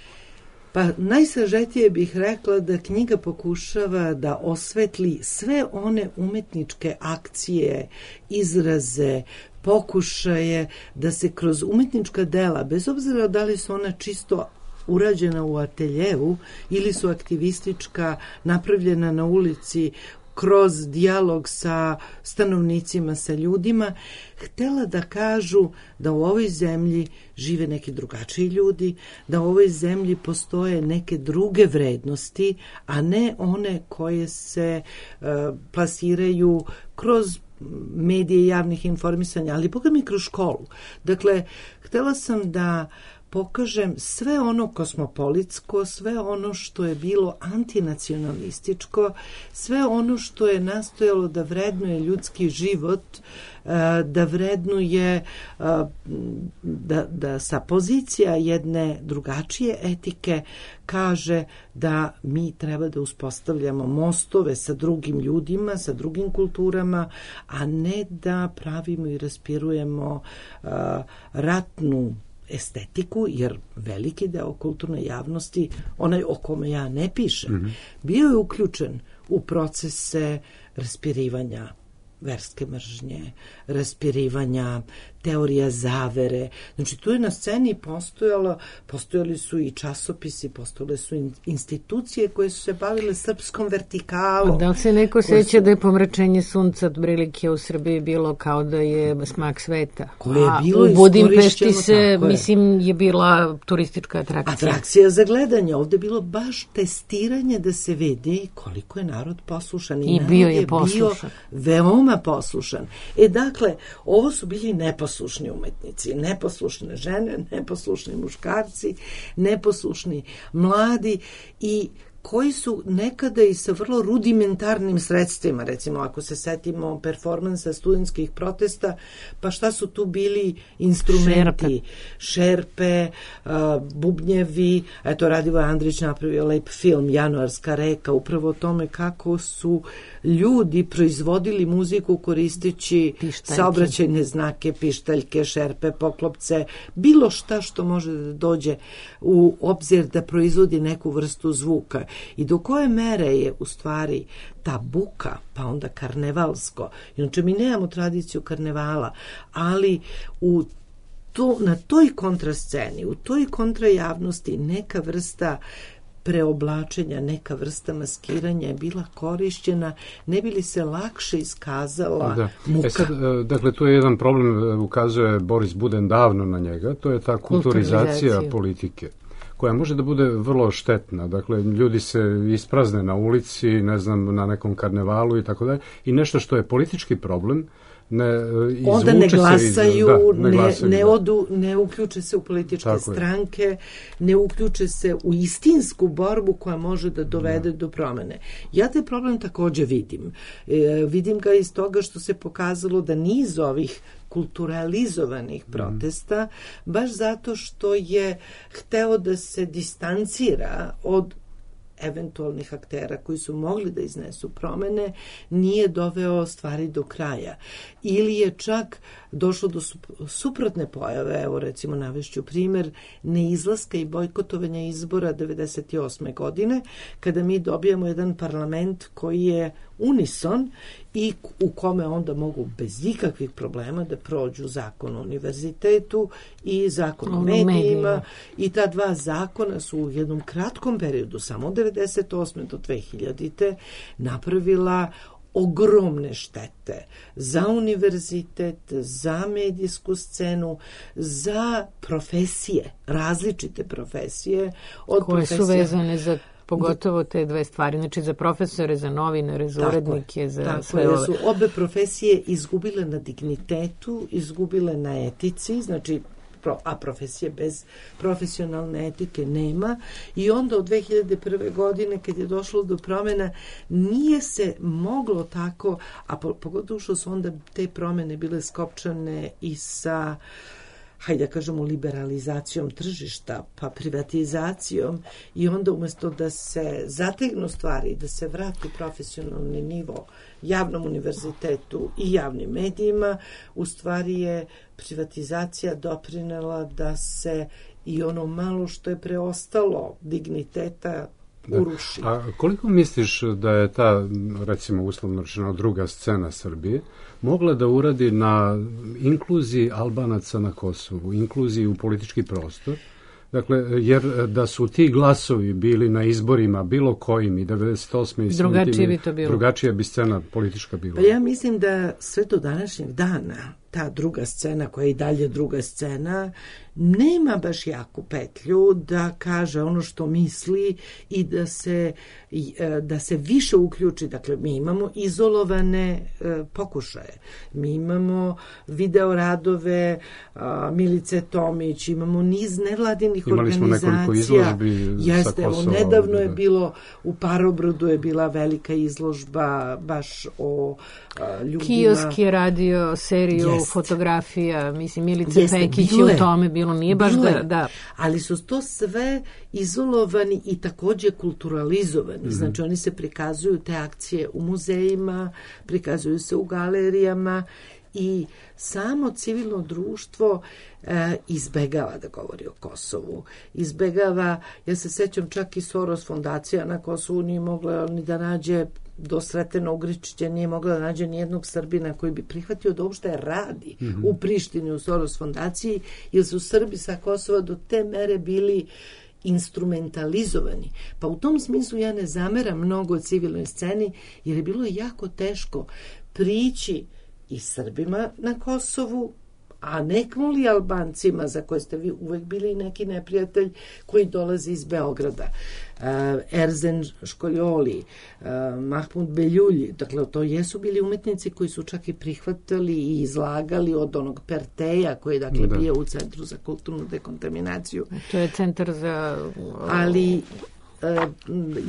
Pa najsažetije bih rekla da knjiga pokušava da osvetli sve one umetničke akcije, izraze, pokušaje da se kroz umetnička dela, bez obzira da li su ona čisto urađena u ateljevu ili su aktivistička, napravljena na ulici, kroz dijalog sa stanovnicima, sa ljudima, htela da kažu da u ovoj zemlji žive neki drugačiji ljudi, da u ovoj zemlji postoje neke druge vrednosti, a ne one koje se plasiraju kroz medije javnih informisanja, ali boga mi kroz školu. Dakle, htela sam da pokažem sve ono kosmopolitsko, sve ono što je bilo antinacionalističko, sve ono što je nastojalo da vrednuje ljudski život, da vrednuje, da sa pozicija jedne drugačije etike kaže da mi treba da uspostavljamo mostove sa drugim ljudima, sa drugim kulturama, a ne da pravimo i raspirujemo ratnu estetiku, jer veliki deo kulturne javnosti, onaj o kome ja ne pišem, bio je uključen u procese raspirivanja verske mržnje, raspirivanja teorija zavere. Znači, tu je na sceni postojali su i časopisi, postojale su institucije koje su se bavile srpskom vertikalom. Da li se neko seća da je pomračenje sunca od prilike u Srbiji bilo kao da je smak sveta? U Budimpešti se, mislim, je bila turistička atrakcija. Atrakcija za gledanje. Ovde je bilo baš testiranje da se vidi koliko je narod poslušan. I bio je poslušan. Veoma poslušan. Dakle, ovo su bili neposlušni umetnici, neposlušne žene, neposlušni muškarci, neposlušni mladi i koji su nekada i sa vrlo rudimentarnim sredstvima, recimo ako se setimo performansa studentskih protesta, pa šta su tu bili instrumenti? Šerpe, bubnjevi, eto Radivoj Andrić napravio lep film Januarska reka, upravo o tome kako su ljudi proizvodili muziku koristeći saobraćajne znake, pištaljke, šerpe, poklopce, bilo šta što može da dođe u obzir da proizvodi neku vrstu zvuka. I do koje mere je u stvari ta buka, pa onda karnevalsko. Inače, mi nemamo tradiciju karnevala, ali u na toj kontrasceni, u toj kontrajavnosti neka vrsta preoblačenja, neka vrsta maskiranja je bila korišćena, ne bi li se lakše iskazala muka. Dakle, tu je jedan problem, ukazuje Boris Buden davno na njega, to je ta kulturizacija politike, koja može da bude vrlo štetna. Dakle, ljudi se isprazne na ulici, ne znam, na nekom karnevalu i tako dalje, i nešto što je politički problem, onda ne glasaju, ne odu, ne uključe se u političke stranke, ne uključe se u istinsku borbu koja može da dovede do promene. Ja taj problem takođe vidim. Vidim ga iz toga što se pokazalo da niz ovih kulturalizovanih protesta, baš zato što je hteo da se distancira od eventualnih aktera koji su mogli da iznesu promene, nije doveo stvari do kraja. Ili je čak došlo do suprotne pojave, evo recimo navešću primer neizlaska i bojkotovanja izbora 1998. godine, kada mi dobijamo jedan parlament koji je unison i u kome onda mogu bez ikakvih problema da prođu zakon o univerzitetu i zakon o medijima i ta dva zakona su u jednom kratkom periodu, samo od 1998. do 2000. napravila ogromne štete za univerzitet, za medijsku scenu, za profesije, različite profesije. Koje su vezane za pogotovo te dve stvari, znači za profesore, za novinare, za urednike, za sve ove. Su obe profesije izgubile na dignitetu, izgubile na etici, znači a profesije bez profesionalne etike nema i onda od 2001. godine kad je došlo do promjena nije se moglo tako, a pogotovo što su onda te promjene bile skopčane i sa hajde da kažemo liberalizacijom tržišta, pa privatizacijom i onda umesto da se zategnu stvari, da se vrati profesionalni nivo javnom univerzitetu i javnim medijima, u stvari je privatizacija doprinela da se i ono malo što je preostalo digniteta uruši. A koliko misliš da je ta, recimo uslovno rečeno, druga scena Srbije mogla da uradi na inkluziji Albanaca na Kosovu, inkluziji u politički prostor? Dakle, jer da su ti glasovi bili na izborima bilo kojim i 98. i drugačije bi to bilo. Drugačija bi scena politička bila. Pa ja mislim da sve do današnjeg dana ta druga scena, koja je i dalje druga scena, nema baš jaku petlju da kaže ono što misli i da se više uključi. Dakle, mi imamo izolovane pokušaje. Mi imamo video radove Milice Tomić, imamo niz nevladinih organizacija. Imali smo nekoliko izložbi sa Kosova. Nedavno je bilo, u Parobrodu je bila velika izložba baš o ljudima. Kiosk je radio seriju fotografija, mislim, Milice Pekić u tome bilo, nije baš da. Ali su to sve izolovani i takođe kulturalizovani. Znači, oni se prikazuju te akcije u muzejima, prikazuju se u galerijama i samo civilno društvo izbegava da govori o Kosovu. Izbegava, ja se sećam čak i Soros fondacija na Kosovu nije mogla ni da nađe do Sretena Ugričića nije mogla da nađe nijednog Srbina koji bi prihvatio da uopšte radi u Prištini u Soros fondaciji, jer su Srbi sa Kosova do te mere bili instrumentalizovani. Pa u tom smislu ja ne zameram mnogo civilnoj sceni, jer je bilo jako teško prići i Srbima na Kosovu, a nekmoli Albancima, za koje ste vi uvek bili neki neprijatelj, koji dolaze iz Beograda. Erzen Školjoli, Mahmud Beljulji, dakle to jesu bili umetnici koji su čak i prihvatali i izlagali od onog Perteja koji je dakle bio u Centru za kulturnu dekontaminaciju. To je centar za... Ali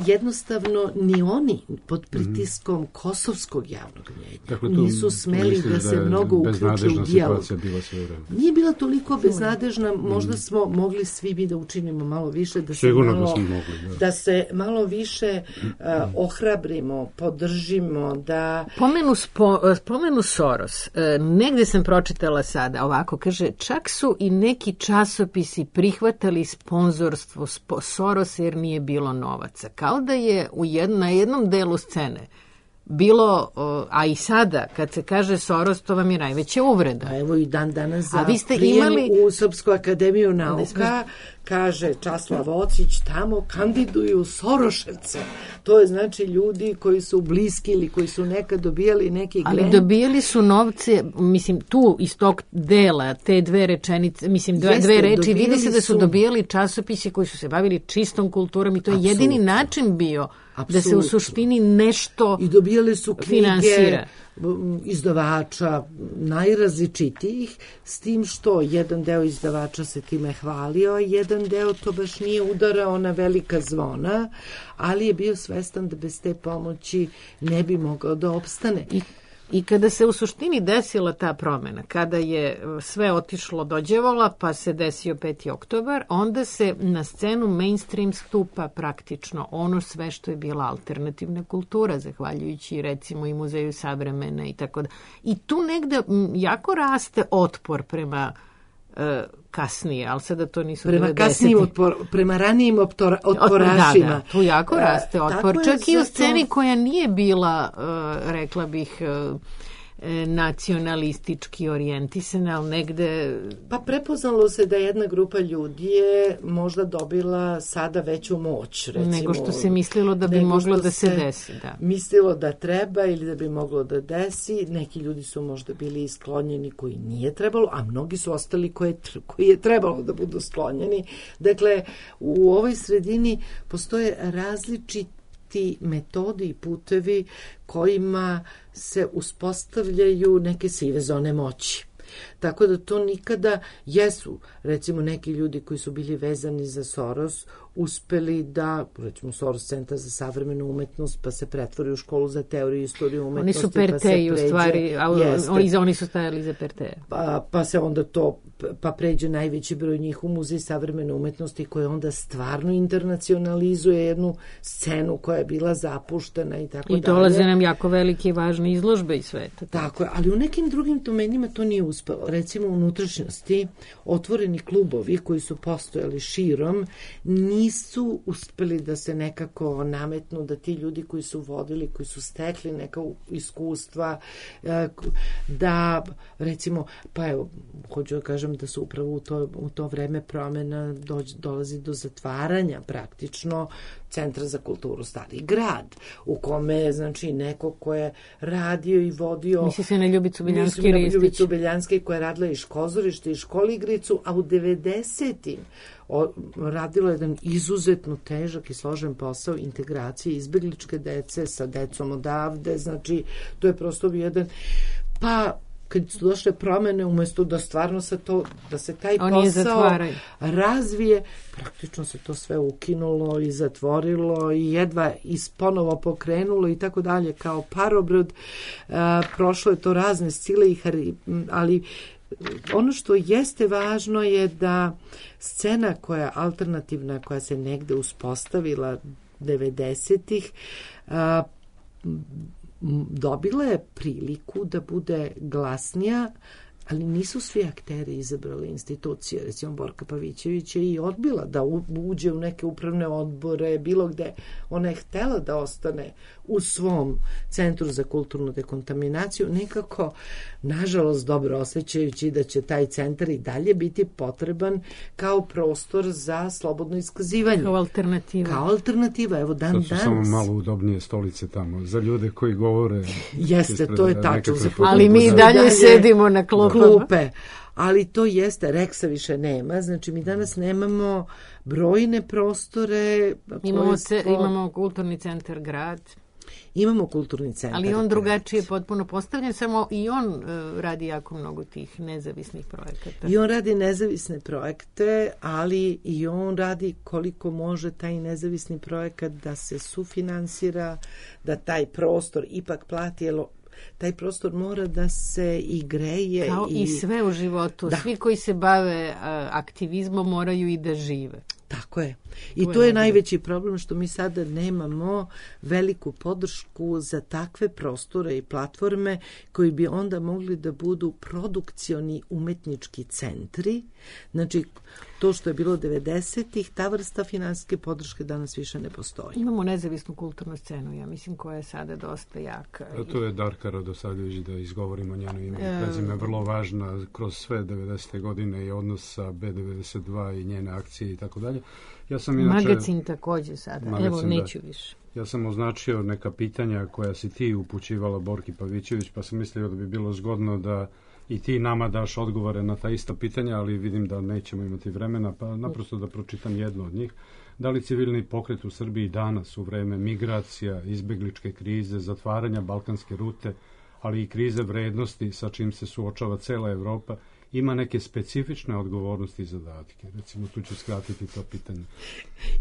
jednostavno ni oni pod pritiskom kosovskog javnog mnjenja dakle, nisu smeli da se mnogo uključe u dijalog. Nije bila toliko beznadežna, možda smo mogli svi mi da učinimo malo više, da se malo više ohrabrimo, podržimo, da... Pomenu Soros, negde sam pročitala sada, ovako kaže, čak su i neki časopisi prihvatali sponzorstvo Sorosa jer nije bilo novaca. Kao da je na jednom delu scene bilo, a i sada, kad se kaže Soros, to vam je najveća uvreda. A evo i dan danas za prijem u Srpsku akademiju nauka kaže Časlav Ocić, tamo kandiduju Soroševce. To je znači ljudi koji su bliski ili koji su nekad dobijali neki grant. Ali dobijali su novce, mislim, tu iz tog dela, te dve rečenice, mislim, dve reči, vidi se da su dobijali časopise koji su se bavili čistom kulturom i to je jedini način bio da se u suštini nešto i dobijali su knjige finansira. Izdavača najrazličitijih, s tim što jedan deo izdavača se time hvalio, a jedan deo to baš nije udarao na velika zvona, ali je bio svestan da bez te pomoći ne bi mogao da opstane. I kada se u suštini desila ta promena, kada je sve otišlo do đevola, pa se desio 5. oktobar, onda se na scenu mainstream stupa praktično ono sve što je bila alternativna kultura, zahvaljujući recimo i Muzeju savremene i tako da. I tu negde jako raste otpor prema kasnije, ali sada to nisu prema kasnijim prema ranijim otporašima. Da, tu jako raste otpor. Čak i u sceni koja nije bila, rekla bih, nacionalistički orijentisana, ali negde... Pa prepoznalo se da jedna grupa ljudi je možda dobila sada veću moć, recimo. Nego što se mislilo da bi moglo da se desi, da. Mislilo da treba ili da bi moglo da desi. Neki ljudi su možda bili sklonjeni koji nije trebalo, a mnogi su ostali koji je trebalo da budu sklonjeni. Dakle, u ovoj sredini postoje različiti metodi i putevi kojima se uspostavljaju neke sive zone moći. Tako da to nikada jesu, recimo neki ljudi koji su bili vezani za Soros, uspeli da, recimo Soros centar za savremenu umetnost, pa se pretvori u školu za teoriju i istoriju umetnosti. Oni su Perteji u stvari, oni su stajali za Perteje. Pa se onda to, pa pređe najveći broj njih u Muzej savremene umetnosti koji onda stvarno internacionalizuje jednu scenu koja je bila zapuštena i tako dalje. I dolaze nam jako velike i važne izložbe iz sveta. Tako je, ali u nekim drugim domenima to nije uspelo. Recimo u unutrašnjosti otvoreni klubovi koji su postojali širom nisu uspeli da se nekako nametnu, da ti ljudi koji su vodili, koji su stekli neka iskustva, da recimo, pa evo, hoću da kažem da su upravo u to vreme promena dolazi do zatvaranja praktično Centra za kulturu Stari grad, u kome, znači, neko ko je radio i vodio... Misli se na Ljubicu Beljanski-Ristić. Ljubicu Beljanski koja je radila i škozorište i školigricu, a u 90-im radila jedan izuzetno težak i složen posao integracije izbegličke dece sa decom odavde, znači, to je prosto jedan... Pa, kad su došle promene, umjesto da stvarno da se taj posao razvije, praktično se to sve ukinulo i zatvorilo i jedva ponovo pokrenulo i tako dalje, kao parobrod. Prošlo je to razne sile, ali ono što jeste važno je da scena koja je alternativna, koja se negde uspostavila 90-ih, dobila je priliku da bude glasnija, ali nisu svi akteri izabrali institucije. Recimo, Borka Pavićević je i odbila da uđe u neke upravne odbore, bilo gde. Ona je htela da ostane u svom Centru za kulturnu dekontaminaciju, nekako, nažalost, dobro osjećajući da će taj centar i dalje biti potreban kao prostor za slobodno iskazivanje. Kao alternativa. Kao alternativa, evo dan danas. Sad su samo malo udobnije stolice tamo, za ljude koji govore. Jeste, to je tačno. Ali mi dalje sedimo na klupe. Ali to jeste, Reksa više nema, znači mi danas nemamo brojne prostore. Imamo kulturni centar grad. Imamo kulturni centar. Ali on drugačije potpuno postavljen, samo i on radi jako mnogo tih nezavisnih projekata. I on radi nezavisne projekte, ali i on radi koliko može taj nezavisni projekat da se sufinansira, da taj prostor ipak plati, jer taj prostor mora da se i greje. Kao i sve u životu. Da. Svi koji se bave aktivizmom moraju i da žive. Tako je. I to je najveći problem što mi sada nemamo veliku podršku za takve prostore i platforme koji bi onda mogli da budu produkcioni umetnički centri. Znači, to što je bilo 90-ih, ta vrsta finansijske podrške danas više ne postoji. Imamo nezavisnu kulturnu scenu, ja mislim, koja je sada dosta jaka. A to je Darka Radosavljević, da izgovorimo njeno ime i prezime, vrlo važna kroz sve 90. godine i odnos sa B92 i njene akcije i tako dalje. Ja sam inače, magazin takođe sada, evo neću više. Ja sam označio neka pitanja koja si ti upućivala Borki Pavićević, pa sam mislio da bi bilo zgodno da i ti nama daš odgovore na ta ista pitanja, ali vidim da nećemo imati vremena, pa naprosto da pročitam jedno od njih. Da li civilni pokret u Srbiji danas u vreme migracija, izbegličke krize, zatvaranja balkanske rute, ali i krize vrednosti sa čim se suočava cela Evropa, ima neke specifične odgovornosti i zadatke? Recimo, tu ću skratiti to pitanje.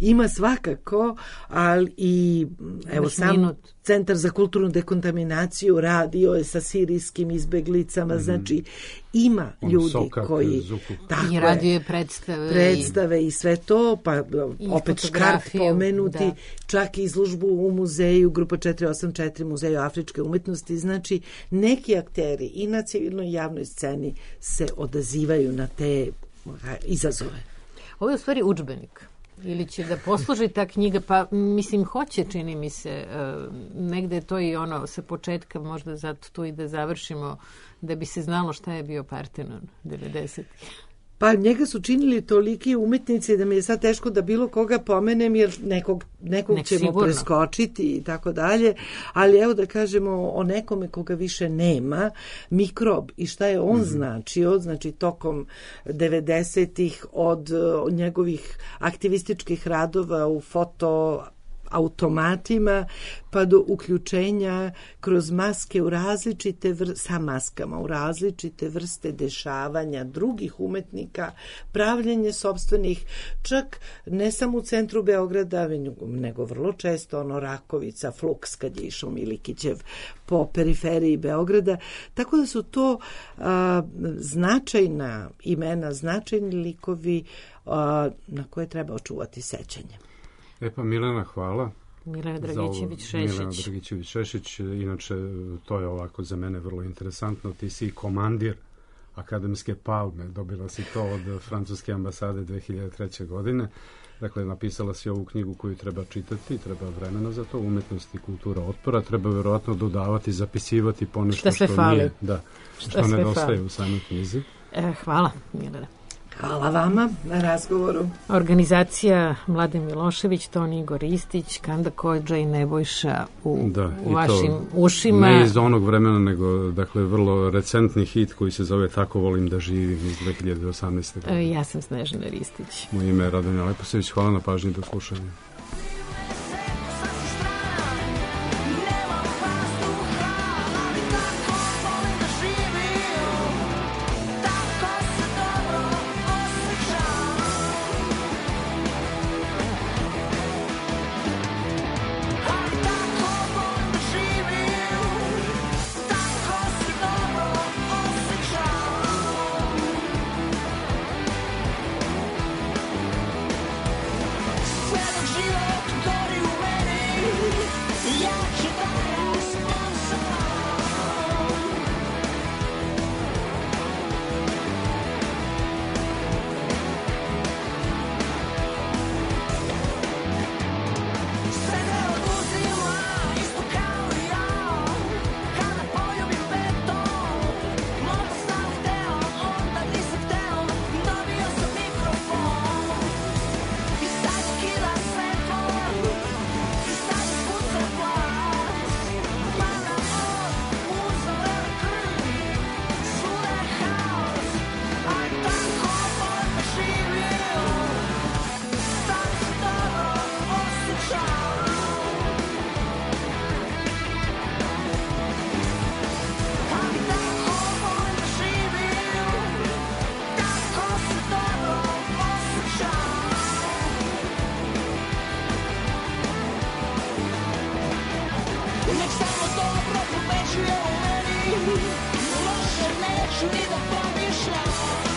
Ima svakako, ali i evo sam Centar za kulturnu dekontaminaciju radio je sa sirijskim izbeglicama, znači ima ljudi Sokak, koji i radio je predstave i sve to, pa opet Škart pomenuti, čak i izložbu u muzeju, grupa 484 Muzeju afričke umetnosti, znači neki akteri i na civilnoj javnoj sceni se odazivaju na te izazove. Ovo je u stvari udžbenik. Ili će da posluži ta knjiga, pa mislim hoće, čini mi se, negde je to i ono sa početka, možda zato tu i da završimo, da bi se znalo šta je bio Partenon 90-ih. Pa njega su činili toliki umetnici da mi je sad teško da bilo koga pomenem, jer nekog ćemo sigurno preskočiti i tako dalje, ali evo da kažemo o nekome koga više nema, Mikrob i šta je on značio, znači tokom 90-ih od njegovih aktivističkih radova u fotoautomatima pa do uključenja kroz maske u različite sa maskama u različite vrste dešavanja drugih umetnika, pravljenje sopstvenih, čak ne samo u centru Beograda, nego vrlo često Rakovica, Fluks kad je išao Milikićev po periferiji Beograda, tako da su to značajna imena, značajni likovi na koje treba očuvati sećanje. Pa Milena, hvala. Milena Dragićević-Šešić, inače to je ovako za mene vrlo interesantno, ti si komandir akademske palme, dobila si to od francuske ambasade 2003. godine, dakle napisala si ovu knjigu koju treba čitati, treba vremena za to, Umetnost i kultura otpora, treba verovatno dodavati, zapisivati ponešto što nije, što nedostaje u samoj knjizi. Hvala, Milena. Hvala vama na razgovoru. Organizacija Mladen Milošević, Toni Igor Ristić, Kanda Kodža i Nebojša u vašim ušima. Ne iz onog vremena, nego dakle vrlo recentni hit koji se zove Tako volim da živim iz 2018. godine. Ja sam Snežana Ristić. Moje ime je Radonja Leposević. Hvala na pažnji, do slušanja. Loše neću ni da pomišljam.